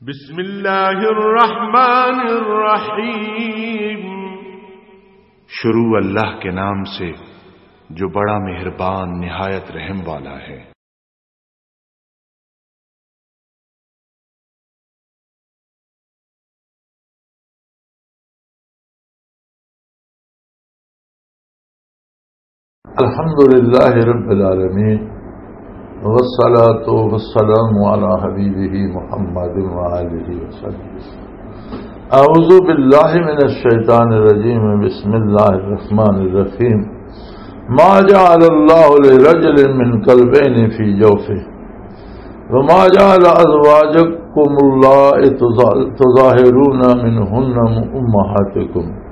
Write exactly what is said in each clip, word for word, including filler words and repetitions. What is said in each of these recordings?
بسم اللہ الرحمن الرحیم۔ شروع اللہ کے نام سے جو بڑا مہربان نہایت رحم والا ہے۔ الحمد لله رب العالمين، والصلاة والسلام على حبيبه محمد وآله وصحبه. أعوذ بالله من الشيطان الرجيم. بسم الله الرحمن الرحيم. ما جعل الله لرجل من قلبين في جوفه، وما جعل أزواجكم اللائي تظا-، تظاهرون منهن أمهاتكم،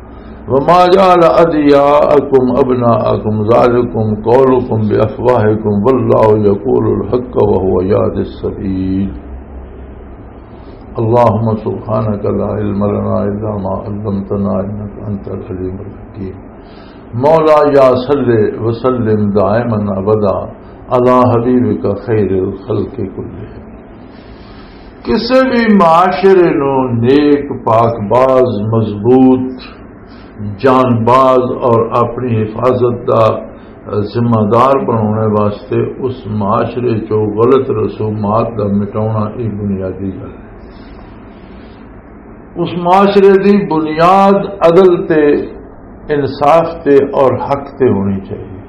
وما جعل أدعياءكم أبناءكم، ذلكم قولكم بأفواهكم، والله يقول الحق وهو يهدي السبيل. اللهم سبحانك لا علم لنا إلا ما علمتنا إنك أنت العليم الحكيم. مولا یا صل وسلم دائما ابدا علی حبیبک خیر الخلق کلہم۔ کسے بھی معاشرے نو نیک، پاک باز، مضبوط، جان باز اور اپنی حفاظت دا ذمہ دار بنانے واسطے اس معاشرے چو غلط رسومات دا مٹاؤنا، یہ بنیادی گل ہے۔ اس معاشرے دی بنیاد عدل تے، انصاف تے اور حق تے ہونی چاہیے،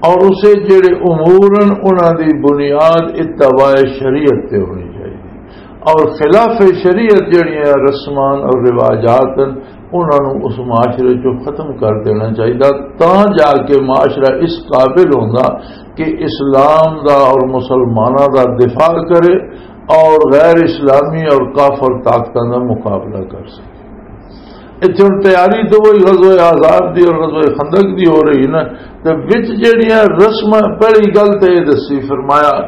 اور اسے جڑے امور ہیں، انہاں دی بنیاد اتباع شریعت تے ہونی چاہیے، اور خلاف شریعت جڑیاں رسمان اور رواجات ہیں، انہاں نوں اس معاشرے چوں ختم کر دینا چاہیے، تاں جا کے معاشرہ اس قابل ہوندا کہ اسلام دا اور مسلماناں دا دفاع کرے اور غیر اسلامی اور کافر طاقتاں دا مقابلہ کر سکے۔ اتھے ہن تیاری تو وہی غزوہ احزاب دی اور غزوہ خندق دی ہو رہی نا، تے وچ جڑیاں رسماں، پہلی گل تے یہ دسی، فرمایا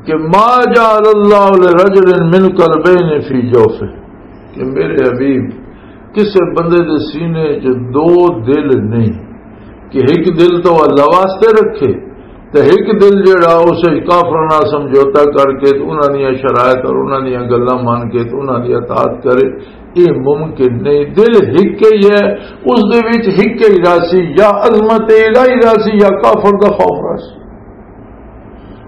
کہ ما جعل اللہ لرجل من قلبین فی جوفہ، کہ میرے حبیب، کسے بندے دے سینے چ دو دل نہیں، کہ ایک دل تو اللہ واسطے رکھے، تے ایک دل جڑا اسے کافر نال سمجھوتا کر کے تے انہاں دیاں شرائط اور انہاں دیاں گلاں مان کے تے انہاں دی اطاعت کرے، یہ ممکن نہیں۔ دل ایک ہی ہے، اس دے وچ ایک ہی راسی، یا عظمت الہی راسی یا کافر دا خوف راسی۔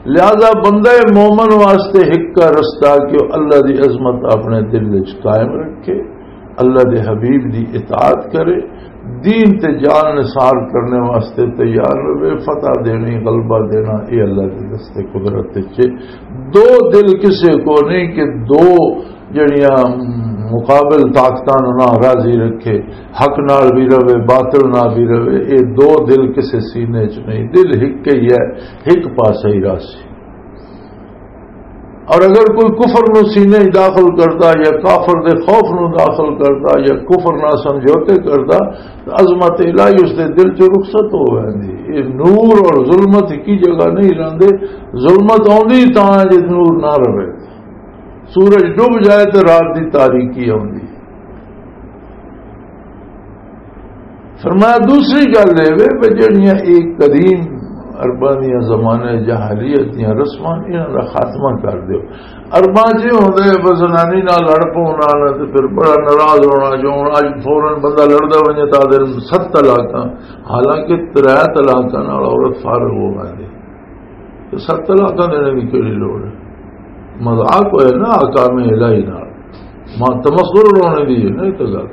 لہذا بندہ مومن واسطے ایک کا رستہ کہ وہ اللہ دی عظمت اپنے دل وچ قائم رکھے، اللہ دے حبیب دی اطاعت کرے، دین تے جان نثار کرنے واسطے تیار رہے، فتح دینی، غلبہ دینا، یہ اللہ دے دستے قدرت وچ ہے۔ دو دل کسے کو نہیں کہ دو جڑیاں مقابل طاقتاں نوں نہ راضی رکھے، حق نال بھی رہے، باطل نال بھی رہے، یہ دو دل کسے سینے چ نہیں، دل ایک ہی ہے، ایک پاسے ہی راضی۔ اور اگر کوئی کفر نو سینے وچ داخل کردا یا کافر دے خوف نو داخل کردا یا کفر نال سمجھوتے کردا، تو عظمت الہی اس دے دل چوں رخصت ہو ویندی۔ یہ نور اور ظلمت اکی جگہ نہیں رہندے۔ ظلمت آندی تاں ہے جے نور نہ رہے۔ سورج ڈوب جائے تو رات دی تاریکی آندی۔ فرمایا، دوسری گل یہ وے کہ جڑیاں ایک قدیم عرباں دیاں زمانے جاہلیت دیاں رسماں، انہاں دا خاتمہ کر دیو۔ عرباں چ یہ ہوندا ہے، بس زنانی نال لڑ پونا تے پھر بڑا ناراض ہونا، جو ہن اج فوراً بندہ لڑدا ونجے تاں آدھے ست طلاقاں، حالانکہ ترے طلاقاں نال عورت فارغ ہو ویندی۔ تے ست طلاقاں دینے دی کیڑی لوڑ ہے؟ مذاق ہوئے نا احکام الہی نال۔ ماں تمسخر اڑانے دی ہے نا یہ تو گل۔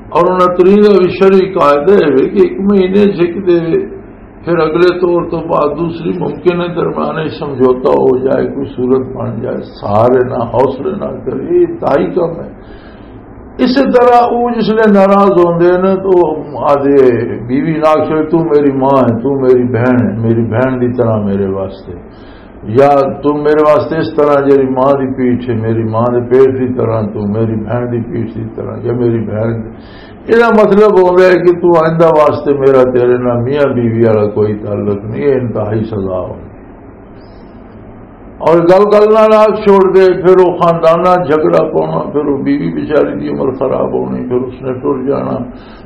اور انہاں ترین دا بھی شرعی قاعدہ ہے کہ ایک مہینے جھک دے، پھر اگلے طور تو بعد دوسری ممکن ہے درمیان وچ سمجھوتا ہو جائے، کوئی صورت بن جائے، سارے نہ حوصلے نہ کرے، یہ انتہائی کم ہے۔ اسی طرح وہ جس لئے ناراض ہوندے نے تو آدھے، بیوی نال آکھے، "تو میری ماں ہے، تو میری بہن ہے، میری بہن دی طرح میرے واسطے، یا تو میرے واسطے اس طرح جیری ماں دی پیٹھ ہے، میری ماں دے پیٹ دی طرح، تو میری بہن دی پیٹھ دی طرح، یا میری بہن دی۔" یہ مطلب ہوندا ہے کہ تو آئندہ واسطے میرا تیرے نال میاں بیوی والا کوئی تعلق نہیں، یہ انتہائی سزا ہوندی۔ اور گل گل نال آگ چھوڑ دے، پھر وہ خاندانہ جھگڑا پاؤنا، پھر وہ بیوی بیچاری دی عمر خراب ہونی، پھر اس نے ٹر جانا،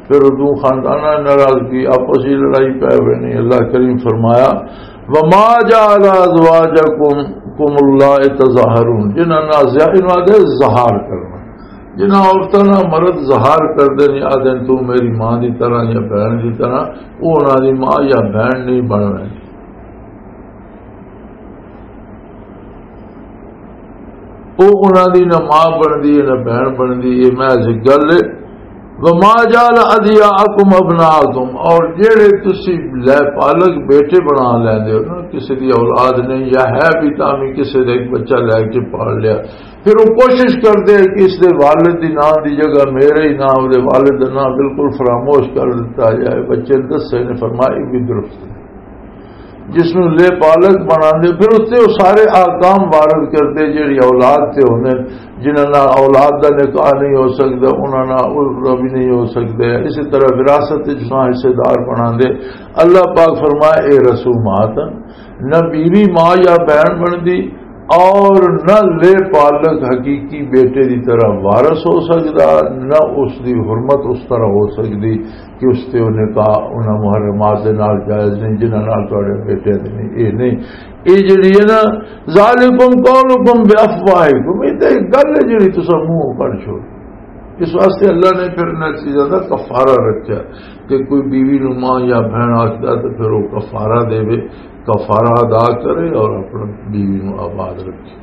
پھر وہ دو خاندانہ ناراضگی، آپس ہی لڑائی پے ہوئے نہیں۔ اللہ کریم فرمایا، "وما جعل ازواجکم"، کم اللہ تظاہرون، جنہاں نال زیادہ نال آدھے ظہار کرنا، جنہاں عورتاں نال مرد ظہار کردے نے، آدھے تو میری ماں دی طرح یا بہن دی طرح، وہ انہاں دی ماں یا بہن نہیں بننا۔ وہ انہاں دی نہ ماں بندی ہے، نہ بہن بندی، یہ محض ایک گل ہے۔ وما جعل ادعیاءکم ابناءکم، اور جڑے تسی لے پالک بیٹے بنا لیندے ہو نا، کسی دی اولاد نہیں یا ہے بھی، تاں بھی کسی دا ایک بچہ لے کے پال لیا، پھر وہ کوشش کردے کہ اس دے والد دی نام دی جگہ میرے ہی نام دے، والد دا نام بالکل فراموش کر دیتا جائے۔ بچے نے دسے نے فرمایا، یہ بھی درست ہے۔ جس نوں لے پالک بناندے، پھر اس تے وہ سارے احکام وارد کردے جڑی اولاد تے ہوندے، جنہاں نال اولاد دا نکاح نہیں ہو سکدا، انہاں نال عرف بھی نہیں ہو سکدے۔ اسی طرح وراثت وچ نہ حصے دار بناندے۔ اللہ پاک فرمائے، اے رسومات، نہ بیوی ماں یا بہن بندی اور نہ لے پالک حقیقی بیٹے دی طرح وارث ہو سکدا، نہ اس دی حرمت اس طرح ہو سکدی کہ اس تے وہ نکاح انہاں محرمات دے نال جائز نہیں، جنہاں نال تہاڈے بیٹے دے نہیں۔ اے نہیں، اے جڑی ہے نا، ذالکم قولکم بافواہکم، اے تے ایک گل ہے جڑی تساں منہوں کڈ چھوڑ۔ اس واسطے اللہ نے پھر انہاں چیزاں دا کفارہ رکھیا کہ کوئی بیوی نو ماں یا بہن آکھدا تے پھر وہ کفارہ دے، کفارہ ادا کرے اور اپنی بیوی نو آباد رکھے۔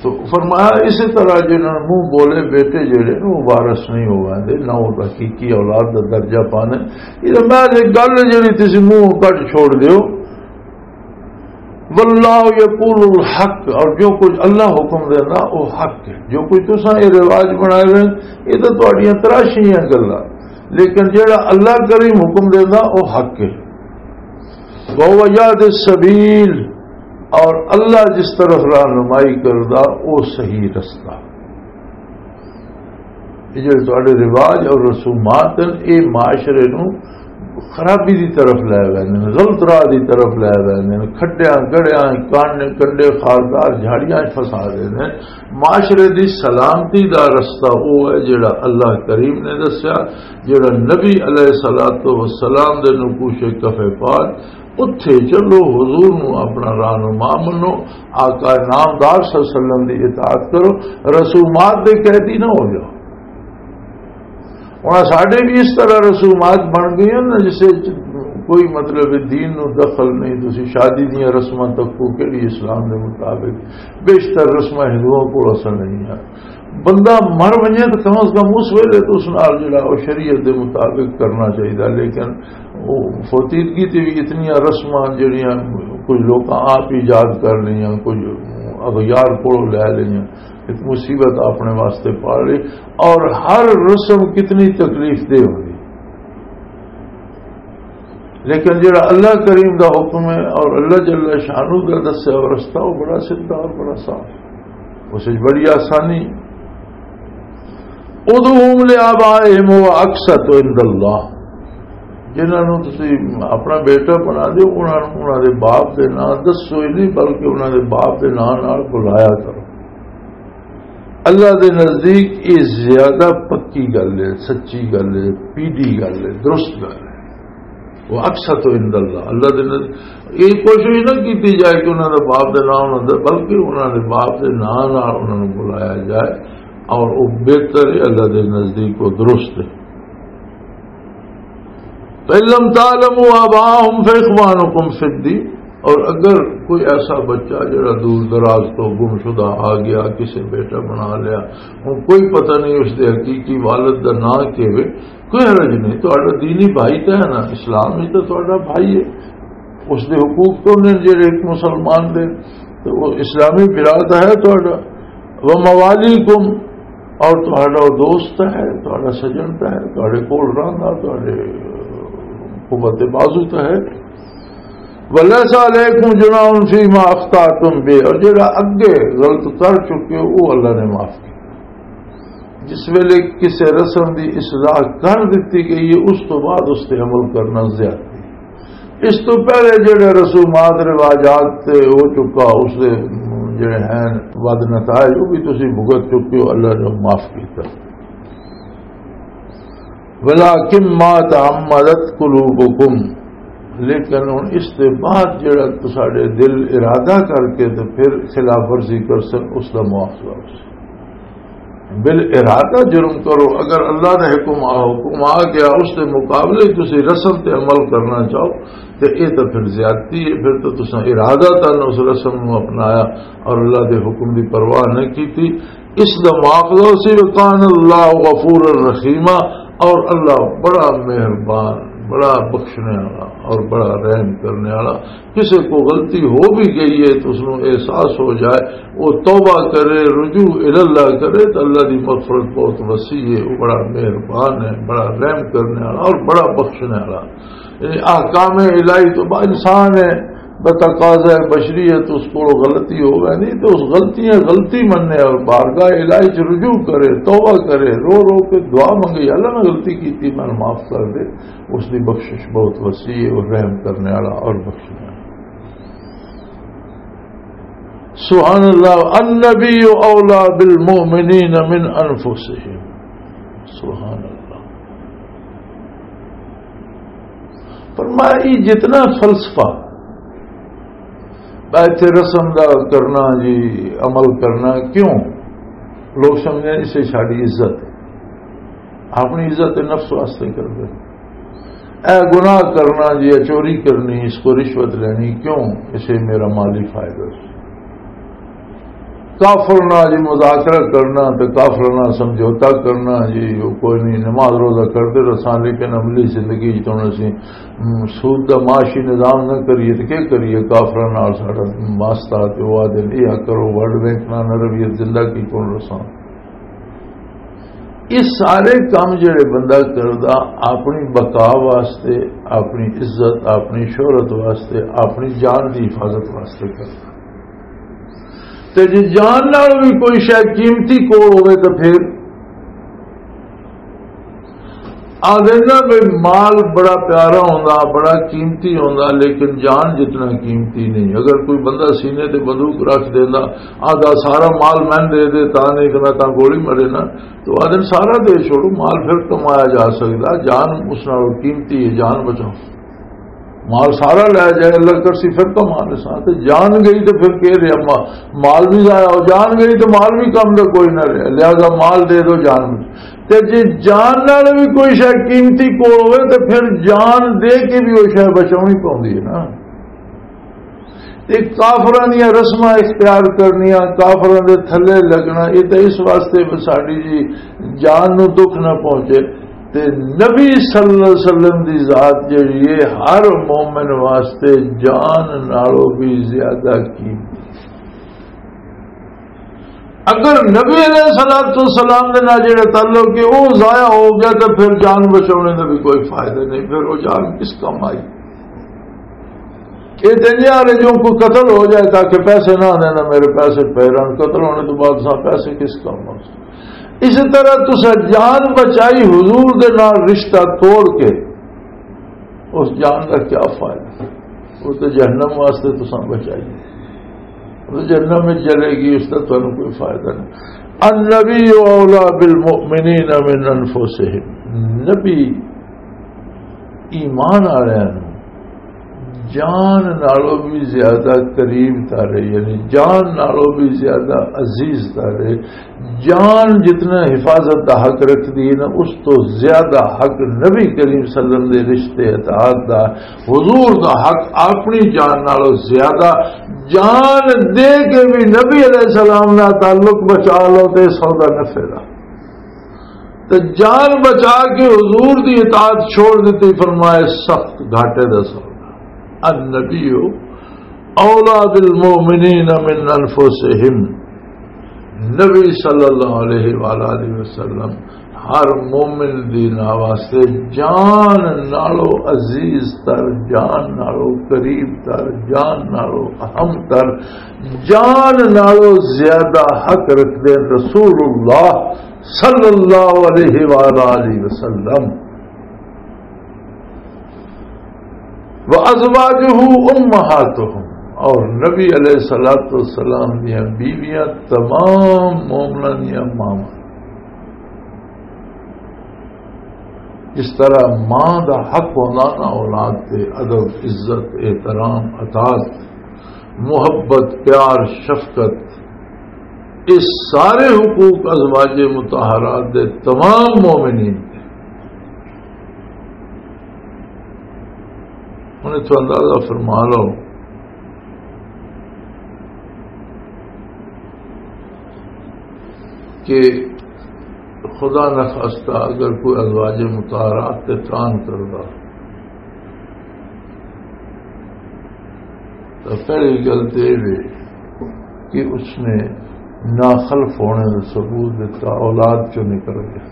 تو فرمایا، اسی طرح جنہاں نوں منہ بولے بیٹے جڑے نے، وہ وارث نہیں ہو ویندے، نہ وہ حقیقی اولاد دا درجہ پانے۔ یہ محض ایک گل ہے جڑی تسی منہ کڈ چھوڑ دیو۔ واللہ یقول الحق، اور جو کچھ اللہ حکم دینا وہ حق ہے۔ جو کچھ تساں یہ رواج بنائے ہوئے، یہ تو تہاڈیاں تراشیاں گلاں، لیکن جڑا اللہ کریم حکم دینا وہ حق ہے۔ وَهُوَ يَهْدِي السَّبِيلَ، اور اللہ جس طرف رہنمائی کردا، او صحیح رستہ۔ یہ جڑے تہاڈے رواج اور رسومات ہیں، یہ معاشرے نو خرابی دی طرف لے ویندے نے، غلط راہ دی طرف لے ویندے نے، کھڈیاں گڑیاں، کان کنڈے خاردار جھاڑیاں وچ فسا دیندے نے۔ معاشرے دی سلامتی دا رستہ او ہے جڑا اللہ کریم نے دسیا، جڑا نبی علیہ الصلوۃ والسلام دے نقوش کفے پال، اتھے چلو، حضور نو اپنا رہنما منو، آقا نامدار صلی اللہ علیہ وسلم دی اطاعت کرو، رسومات دے قیدی نہ ہو جاؤ۔ ہن ساڈے بھی اس طرح رسومات بن گئی ہیں نا، جسے کوئی مطلب ہے، دین نو دخل نہیں۔ تسی شادی دیاں رسماں تکو کیڑی اسلام دے مطابق؟ بیشتر رسماں ہندوؤں کول اصل نہیں ہیں۔ بندہ مر ونجے تو کم از کم اس ویلے تو اس نال جڑا وہ شریعت دے مطابق کرنا چاہیے، لیکن وہ فوتیدگی تے بھی اتنی رسماں جڑیاں کچھ لوگ آپ ایجاد کر لیا، کچھ اغیار کولوں لے لیا، ایک مصیبت اپنے واسطے پال لی۔ اور ہر رسم کتنی تکلیف دہ ہوئی، لیکن جڑا اللہ کریم دا حکم ہے اور اللہ جل شانہ دا دسیا ہوا رستہ، وہ بڑا سیدھا اور بڑا صاف ہے۔ اس وچ بڑی آسانی۔ ادعوہم لآبائہم ہو اقسط عند اللہ، جنہاں نوں تسی اپنا بیٹا بنا دیو، انہاں نوں انہاں دے باپ دے نام دسو ہی نہیں، بلکہ انہاں دے باپ دے نام نال بلایا کرو۔ اللہ دے نزدیک یہ زیادہ پکی گل ہے، سچی گل ہے، پیڈی گل ہے، درست گل ہے۔ وہ اقسط عند اللہ، اللہ دے نزدیک یہ کوشش نہ کیتی جائے کہ انہاں دے باپ دے نام نہ دے، بلکہ انہاں دے باپ دے نام نال انہاں نوں بلایا جائے، اور وہ بہتر ہے، اللہ دے نزدیک وہ درست ہے۔ فَإِن لَّمْ تَعْلَمُوا آبَاءَهُمْ فَإِخْوَانُكُمْ فِي الدِّينِ، اور اگر کوئی ایسا بچہ جڑا دور دراز تو گمشدہ آ گیا، کسے بیٹا بنا لیا، ہن کوئی پتہ نہیں اس دے حقیقی والد دا نام کی ہے، کوئی حرج نہیں، تہاڈا دینی بھائی تو ہے نا، اسلام میں تو تہاڈا بھائی ہے، اس دے حقوق تو نے جڑے ایک مسلمان دے، تو وہ اسلامی برا تو ہے تہاڈا۔ وَمَوَالِيكُمْ، اور تہاڈا وہ دوست ہے، تہاڈا سجن تو ہے، تہاڈے کول رہندا، تہاڈے قوت بازو تو ہے۔ وَلَيْسَ عَلَيْكُمْ جُنَاحٌ فِيمَا أَخْطَأْتُمْ بِهِ، اور جڑا اگے غلط کر چکے ہو، وہ اللہ نے معاف کیا۔ جس ویلے کسے رسم دی اصلاح کر دتی گئی ہے، اس تو بعد اس تے عمل کرنا زیادتی۔ اس تو پہلے جڑے رسومات، رواجات تے ہو چکا، اس دے جڑے ہیں ود نتائج، وہ بھی تسی بھگت چکے ہو، اللہ نے معاف کیتا۔ وَلَٰكِن مَّا تَعَمَّدَتْ قُلُوبُكُمْ، لیکن ہن اس دے بعد جڑا تساڈے دل ارادہ کر کے تے پھر خلاف ورزی کر سن، اس دا مواخذہ ہو سی۔ بالارادہ جرم کرو، اگر اللہ دا حکم آ، حکم آ گیا، اس دے مقابلے تسی رسم تے عمل کرنا چاہو، تے اے تاں پھر زیادتی ہے، پھر تو تساں ارادہ تن اس رسم نو اپنایا اور اللہ دے حکم دی پرواہ نہیں کیتی۔ اس دا مواخذہ سی، وکان اللہ غفور الرحیمہ، اور اللہ بڑا مہربان، بڑا بخشنے والا اور بڑا رحم کرنے والا۔ کسے کو غلطی ہو بھی گئی ہے تو اس نو احساس ہو جائے، وہ توبہ کرے، رجوع الاللہ کرے تو اللہ دی مغفرت بہت وسیع ہے، وہ بڑا مہربان ہے، بڑا رحم کرنے والا اور بڑا بخشنے والا۔ یعنی احکام الہی تو با انسان ہے، بتقاضا بشریت اس کو غلطی ہو گئی نہیں تو اس غلطیاں غلطی مننے اور بارگاہ الہی چ رجوع کرے، توبہ کرے، رو رو کے دعا منگے، "یا اللہ میں غلطی کی تھی، میں معاف کر دے۔" اس دی بخشش بہت وسیع ہے، وہ رحم کرنے والا اور بخشنے والا۔ سبحان اللہ، النبی اولا بالمؤمنین من انفسہم۔ سبحان اللہ۔ فرمایا، یہ جتنا فلسفہ میں اتھے رسم دا کرنا جی، عمل کرنا، کیوں؟ لوگ سمجھنے اسے ساڈی عزت ہے، اپنی عزت نفس واسطے کر دے۔ اے گناہ کرنا جی، اے چوری کرنی، اس کو رشوت لینی، کیوں؟ اسے میرا مالی فائدہ سی۔ کافر نال جی مذاکرہ کرنا تے کافر نال سمجھوتا کرنا جی، وہ کوئی نہیں، نماز روزہ کرتے رساں، لیکن عملی زندگی وچ ہن اسی، ہم، سود دا معاشی نظام نہ کریے تے کیا کریے؟ کافراں نال ساڈا واسطہ تے وہ آدھے، "اے کرو، ورلڈ بینک نال نہ رویے، زندہ کی کون رساں؟" یہ سارے کام جڑے بندہ کردا، اپنی بقا واسطے، اپنی عزت، اپنی شہرت واسطے، اپنی جان دی حفاظت واسطے کردا۔ تے جے جان نال بھی کوئی شے قیمتی کول ہوے تے پھر آدھے نا بھی مال بڑا پیارا ہوندا، بڑا قیمتی ہوندا، لیکن جان جتنا قیمتی نہیں۔ اگر کوئی بندہ سینے تے بندوق رکھ دیندا، آدھا سارا مال میں دے دے، تاں نہیں تے میں تاں گولی مرے نا، تو آدھے سارا دے چھوڑو، مال پھر کمایا جا سکدا، جان اس نال قیمتی ہے، جان بچاؤ۔ مال سارا لے جائے، اللہ کرسی پھر تو مال ساتھ۔ جان گئی تو پھر کہہ رہے ماں، مال بھی ضائع ہو، جان گئی تو مال بھی کم دا کوئی نہ رہے، لہذا مال دے دو، جان بھی۔ تے جے جان نال بھی کوئی شے قیمتی کول ہوئے تو پھر جان دے کے بھی وہ شے بچاؤنی پوندی ہے نا۔ تے کافراں دیاں رسماں اختیار کرنیاں، کافراں دے تھلے لگنا، یہ تو اس واسطے بھی ساڈی جی جان نو دکھ نہ پہنچے۔ تے نبی صلی اللہ علیہ وسلم دی ذات جڑی ہے، ہر مومن واسطے جان نالوں بھی زیادہ قیمتی۔ اگر نبی علیہ الصلوۃ والسلام دے نال جڑا تعلق ہے وہ ضائع ہو گیا تو پھر جان بچانے دا بھی کوئی فائدہ نہیں، پھر وہ جان کس کام آئی؟ یہ تے نہیں آ رہے جو کوئی قتل ہو جائے تاکہ پیسے نہ آنے، نہ میرے پیسے پے رہن، قتل ہونے تو بعد سا پیسے کس کام آ؟ اس طرح تسا جان بچائی حضور دے نال رشتہ توڑ کے، اس جان کا کیا فائدہ؟ وہ تو جہنم واسطے تسا بچائی، وہ تو جہنم میں چلے گی، اس کا تمہیں کوئی فائدہ نہیں۔ النبی اولا بالمؤمنین من انفسہم، نبی ایمان والوں نوں جان نالوں بھی زیادہ قریب تارے، یعنی جان نالوں بھی زیادہ عزیز تارے۔ جان جتنا حفاظت دا حق رکھدی ہے نا، اس تو زیادہ حق نبی کریم صلی اللہ علیہ وسلم دے رشتے اطاعت دا، حضور دا حق اپنی جان نالوں زیادہ۔ جان دے کے بھی نبی علیہ السلام نال تعلق بچا لو تے سودا نفع دا۔ تے جان بچا کے حضور دی اطاعت چھوڑ دیتی، فرمائے سخت گھاٹے دا سودا۔ النبی اولا بالمؤمنین من انفسہم، نبی صلی اللہ علیہ وآلہ وسلم ہر مومن دی نا واسطے جان نالو عزیز تر، جان نالو قریب تر، جان نالو اہم تر، جان نالو زیادہ حق رکھدے رسول اللہ صلی اللہ علیہ وآلہ وسلم۔ وَأَزْوَاجُهُ أُمَّهَاتُهُمْ، اور نبی علیہ الصلوۃ والسلام دیاں بیویاں تمام مومناں دیاں ماواں۔ جس طرح ماں دا حق ہوندا نا اولاد تے، ادب، عزت، احترام، اطاعت، محبت، پیار، شفقت، یہ سارے حقوق ازواج مطہرات دے تمام مومنین دے۔ ہن اتھوں اندازہ فرما لو کہ خدا نخواستہ اگر کوئی ازواج مطہرات تے تان کردا، تو پہلی گل تو یہ وے کہ اس نے ناخلف ہونے کا ثبوت دیتا، اولاد چوں نکل گیا۔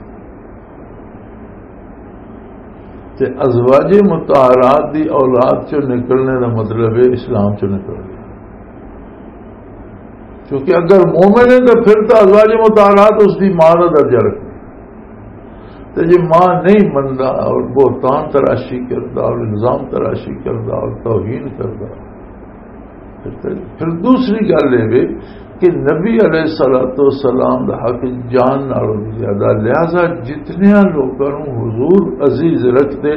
تے ازواج مطہرات دی اولاد چوں نکلنے دا مطلب ہے اسلام چوں نکل گیا۔ کیونکہ اگر مومن ہے تو پھر تو ازواج مطہرات اس دی ماں دا درجہ رکھے۔ تے جے ماں نہیں مندا اور بہتان تراشی کردا اور الزام تراشی کردا اور توہین کردا، پھر تے، پھر دوسری گل یہ وے کہ نبی علیہ الصلوۃ والسلام دا حق جان نالوں بھی زیادہ، لہذا جتنیاں لوکاں نوں حضور عزیز رکھدے،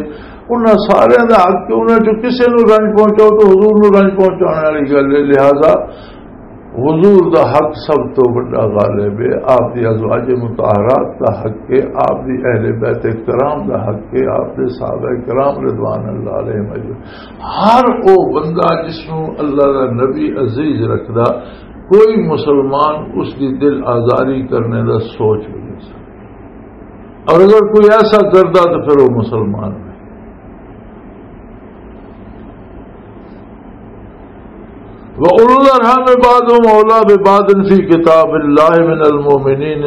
انہاں سارے دا حق کہ انہاں چوں کسے نوں رنج پہنچاؤ تو حضور نوں رنج پہنچانے والی گل ہے۔ لہذا حضور دا حق سب تو بڑا غالب ہے، آپ دی ازواج مطہرات دا حق ہے، آپ دی اہل بیت کرام دا حق ہے، آپ دے صحابہ کرام رضوان اللہ علیہم اجمعین۔ ہر او بندہ جس نوں اللہ دا نبی عزیز رکھدا، کوئی مسلمان اس دی دل آزاری کرنے دا سوچ بھی نہیں سکتا، اور اگر کوئی ایسا کردا تو پھر وہ مسلمان نہیں۔ وَأُولُو الْأَرْحَامِ بَعْضُهُمْ أَوْلَىٰ بِبَعْضٍ فِي كِتَابِ اللَّهِ مِنَ الْمُؤْمِنِينَ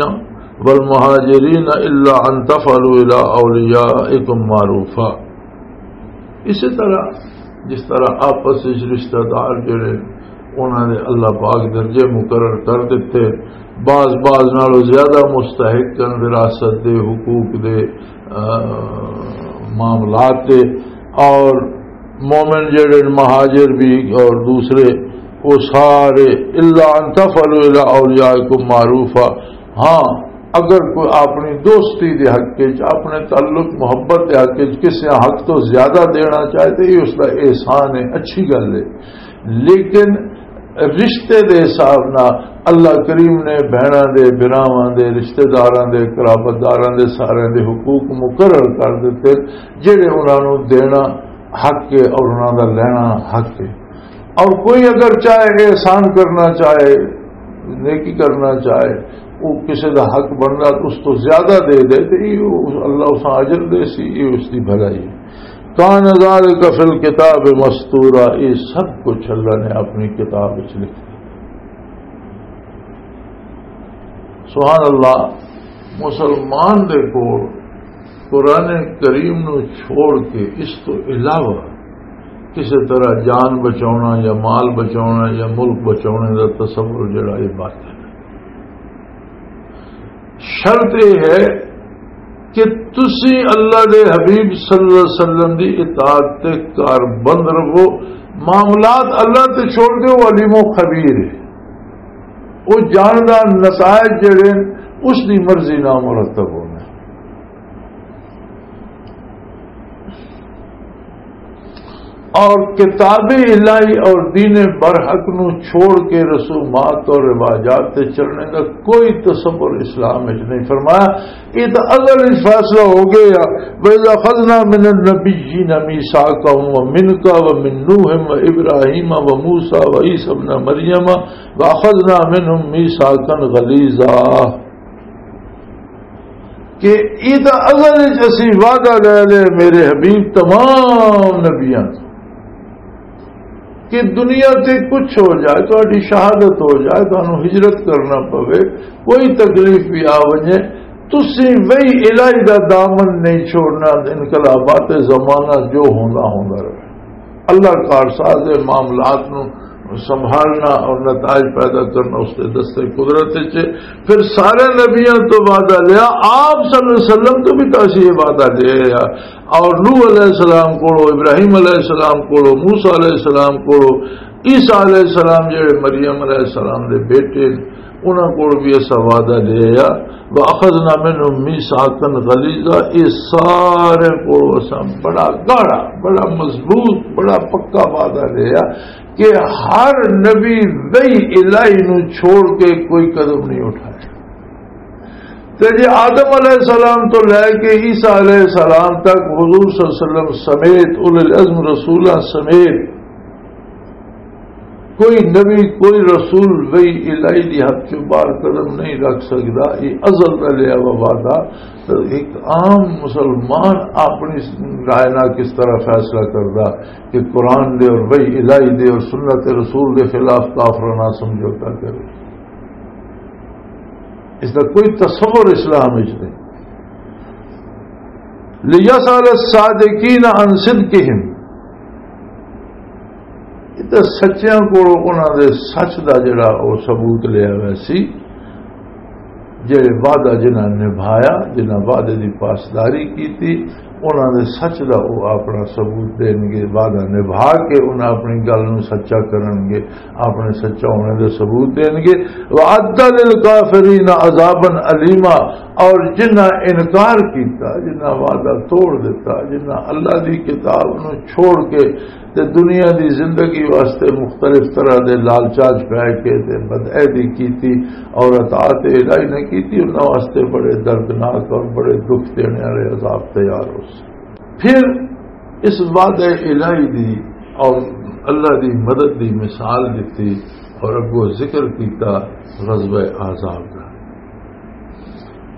وَالْمُهَاجِرِينَ إِلَّا أَن تَفْعَلُوا إِلَىٰ أَوْلِيَائِكُم مَّعْرُوفًا۔ اسی طرح جس طرح آپس وچ رشتہ دار جڑے، انہاں نے اللہ پاک درجے مقرر کر دیتے، بعض بعض نالوں زیادہ مستحق ہیں وراثت دے، حقوق دے، آ، معاملات دے، اور مومن جڑے مہاجر بھی اور دوسرے، وہ سارے، الا ان تفعلوا الی اولیائکم معروفا، ہاں، اگر کوئی اپنی دوستی دے حق وچ، اپنے تعلق محبت دے حق وچ کسے حق تو زیادہ دینا چاہے تو یہ اس دا احسان ہے، اچھی گل ہے۔ لیکن رشتے دے حساب نال اللہ کریم نے بہناں دے، بھراواں دے، رشتے داراں دے، قرابت داراں دے، سارے دے حقوق مقرر کر دتے، جڑے انہاں نوں دینا حق ہے اور انہاں دا لینا حق ہے۔ اور کوئی اگر چاہے احسان کرنا چاہے، نیکی کرنا چاہے، وہ کسی دا حق بندا تو اس تو زیادہ دے دے، تو یہ اللہ اس اجر دے سی، یہ اس دی بھلائی ہے۔ کان ذالک فی الکتاب مستورا، یہ سب کچھ اللہ نے اپنی کتاب وچ لکھ دیا۔ سبحان اللہ، مسلمان دے کول قرآن کریم نو چھوڑ کے اس تو علاوہ کسی طرح جان بچاؤنا یا مال بچاؤنا یا ملک بچاؤنے دا تصور جڑا، یہ باطل ہے۔ شرط یہ ہے کہ تسی اللہ دے حبیب صلی اللہ علیہ وسلم دی اطاعت تے کاربند رہو، معاملات اللہ تے چھوڑ دے، وہ علیم و خبیر ہے، وہ جاندا نتائج جڑے اس دی مرضی نال مرتب ہونا۔ اور کتاب الہی اور دین برحق نو چھوڑ کے رسومات اور رواجات تے چلنے دا کوئی تصور اسلام وچ نہیں۔ فرمایا، یہ تو ازل وچ فیصلہ ہو گیا۔ وَإِذْ أَخَذْنَا مِنَ النَّبِيِّينَ مِيثَاقَهُمْ وَمِنْكَ وَمِنْ نُوحٍ وَإِبْرَاهِيمَ وَمُوسَىٰ وَعِيسَىٰ ابْنِ مَرْيَمَ وَأَخَذْنَا مِنْهُمْ مِيثَاقًا غَلِيظًا۔ کہ یہ تو ازل وچ اسی وعدہ لے لے میرے حبیب تمام نبیاں تو، کہ دنیا تے کچھ ہو جائے، تہاڈی شہادت ہو جائے، تانوں ہجرت کرنا پوے، کوئی تکلیف بھی آ ونجے، تسی وہی الہی دا دامن نہیں چھوڑنا، انقلابات زمانہ جو ہوندا ہوندا رہے۔ اللہ کارساز معاملات نو سنبھالنا اور نتائج پیدا کرنا اس کے دستے قدرت وچ ہے۔ پھر سارے نبیاں تو وعدہ لیا، آپ صلی اللہ علیہ وسلم تو بھی تو اسی یہ وعدہ لیا۔ اور نوح علیہ السلام کولو، ابراہیم علیہ السلام کولو، موسیٰ علیہ السلام کولو، عیسیٰ علیہ السلام جڑے مریم علیہ السلام دے بیٹے، انہاں کول بھی ایسا وعدہ لے آیا، وَأَخَذْنَا مِنْهُمْ مِيثَاقًا غَلِيظًا، یہ سارے کول اساں بڑا گاڑا، بڑا مضبوط، بڑا پکا وعدہ لیا کہ ہر نبی وحی الہی نو چھوڑ کے کوئی قدم نہیں اٹھایا۔ تے جے آدم علیہ السلام تو لے کے عیسیٰ علیہ السلام تک حضور صلی اللہ علیہ وسلم سمیت، اولو العزم رسولاں سمیت، کوئی نبی، کوئی رسول وحی الہی دی حد چوں باہر قدم نہیں رکھ سکدا۔ یہ ازل دا لیا ہوا وعدہ۔ تو ایک عام مسلمان اپنی رائے نال کس طرح فیصلہ کردا کہ قرآن دے اور وحی الہی دے اور سنت رسول دے خلاف کافراں نال سمجھوتا کرے؟ اس دا کوئی تصور اسلام وچ نہیں۔ لِيَسْأَلَ الصَّادِقِينَ عَنْ صِدْقِهِمْ، یہ تے سچیاں کولوں انہاں دے سچ دا جڑا او ثبوت لیا ہویا سی، جڑے وعدہ جنہاں نبھایا، جنہاں وعدے دی پاسداری کیتی، انہاں دے سچ دا او اپنا ثبوت دین گے، وعدہ نبھا کے انہاں اپنی گل نوں سچا کرن گے، اپنے سچا ہونے دے ثبوت دین گے۔ وَأَعَدَّ لِلْكَافِرِينَ عَذَابًا أَلِيمًا، اور جنہاں انکار کیتا، جنہاں وعدہ توڑ دیتا، جنہاں اللہ دی کتاب نوں چھوڑ کے تے دنیا دی زندگی واسطے مختلف طرح دے لالچاں چ پے کے تے بدعہدی کیتی اور اطاعت الہی نہ کیتی، انہاں واسطے بڑے دردناک اور بڑے دکھ دینے والے عذاب تیار ہو سی۔ پھر اس وعدہ الہی دی اور اللہ دی مدد دی مثال دتی اور اگوں ذکر کیتا غزوہ احزاب دا۔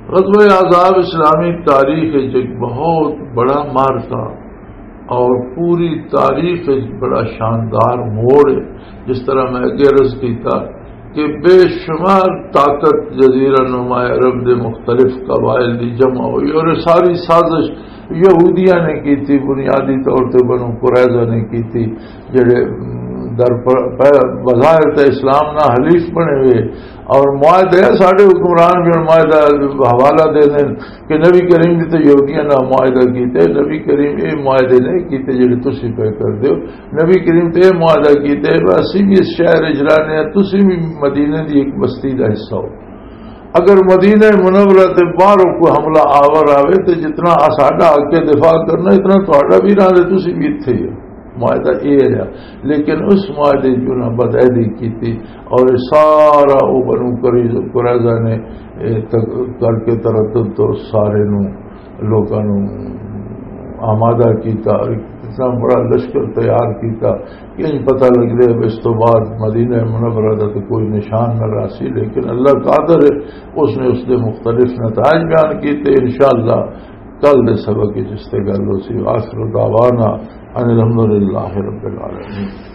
غزوہ احزاب اسلامی تاریخ وچ ایک بہت بڑا معرکہ اور پوری تاریخ وچ بڑا شاندار موڑ ہے۔ جس طرح میں اگے عرض کیتا کہ بے شمار طاقت جزیرہ نما عرب دے مختلف قبائل دی جمع ہوئی اور یہ ساری سازش یہودیاں نے کیتی، بنیادی طور تے بنو قریظہ نے کیتی، جڑے، ام، در پر، پہ-، بظاہر تے اسلام نہ حلیف بنے ہوئے اور معاہدے ساڈے حکمران بھی ہن معاہدہ حوالہ دے دین کہ نبی کریم دی تے یہودیاں نال معاہدہ کیتے، نبی کریم اے معاہدے نہیں کیتے جڑے تسی پہ کر دیو۔ نبی کریم تے اے معاہدہ کیتے، اسی بھی اس شہر وچ رہنے ہیں، تسی بھی مدینے دی ایک بستی دا حصہ ہو۔ اگر مدینہ منورہ تے باہروں کوئی حملہ آور آوے تے جتنا ساڈا حق ہے دفاع کرنا، اتنا تہاڈا بھی، نہ تے تسی بھی اتھے ہی ہو۔ معاہدہ اے ہے۔ لیکن اس معاہدے جو نہ بدعہدی کیتی اور سارا او بنو قریظ-، قریظہ نے، اے، تک-، کر کے تردد تو سارے نو، لوکاں نو آمادہ کیتا اور اتنا بڑا لشکر تیار کیتا کہ انج پتہ لگ رہا ہے اس تو بعد مدینہ منورہ دا تو کوئی نشان نہ رہا سی، لیکن اللہ قادر ہے، اس نے اس دے مختلف نتائج بیان کیتے۔ انشاءاللہ کل دے سبق وچ اس تے گل ہو سی۔ آخر دعوانا ان الحمدللہ رب العالمین۔